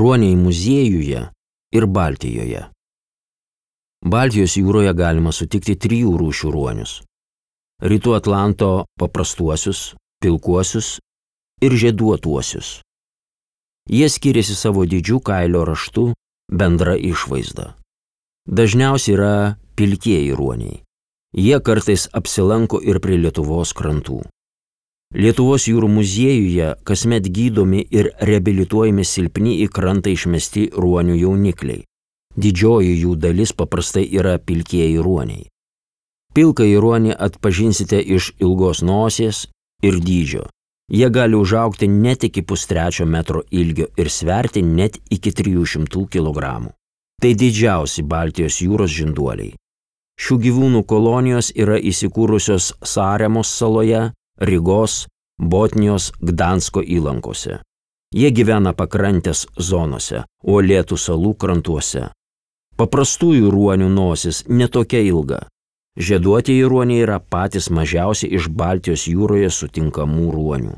ruoniai muziejuje ir Baltijoje. Baltijos jūroje galima sutikti 3 rūšių ruonius – Rytų Atlanto paprastuosius, pilkuosius ir žieduotuosius. Jie skiriasi savo dydžiu, kailio raštu, bendra išvaizda. Dažniausiai yra pilkieji ruoniai. Jie kartais apsilanko ir prie Lietuvos krantų. Lietuvos jūrų muziejuje kasmet gydomi ir reabilituojami silpni į krantą išmesti ruonių jaunikliai. Didžioji jų dalis paprastai yra pilkieji ruoniai. Pilkąjį ruonį atpažinsite iš ilgos nosies ir dydžio. Jie gali užaugti net iki 1,5 metro ilgio ir sverti net iki 300 kg. Tai didžiausi Baltijos jūros žinduoliai. Šių gyvūnų kolonijos yra įsikūrusios Saremos saloje, Rygos, Botnijos, Gdansko įlankose. Jie gyvena pakrantės zonose, uolėtų salų krantuose. Paprastųjų ruonių nosis netokia ilga. Žieduotieji ruoniai yra patys mažiausi iš Baltijos jūroje sutinkamų ruonių.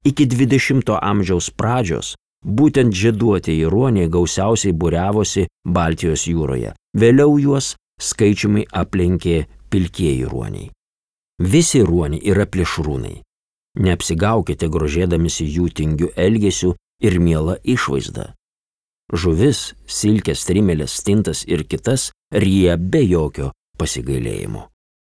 Iki 20 amžiaus pradžios būtent žieduotieji ruoniai gausiausiai būriavosi Baltijos jūroje. Vėliau juos skaičiumi aplenkė pilkieji ruoniai. Visi ruoniai yra plėšrūnai. Neapsigaukite grožėdamisi jų tingiu elgesiu ir miela išvaizda. Žuvis, silkės, strimelės, stintas ir kitas ryja be jokio pasigailėjimo.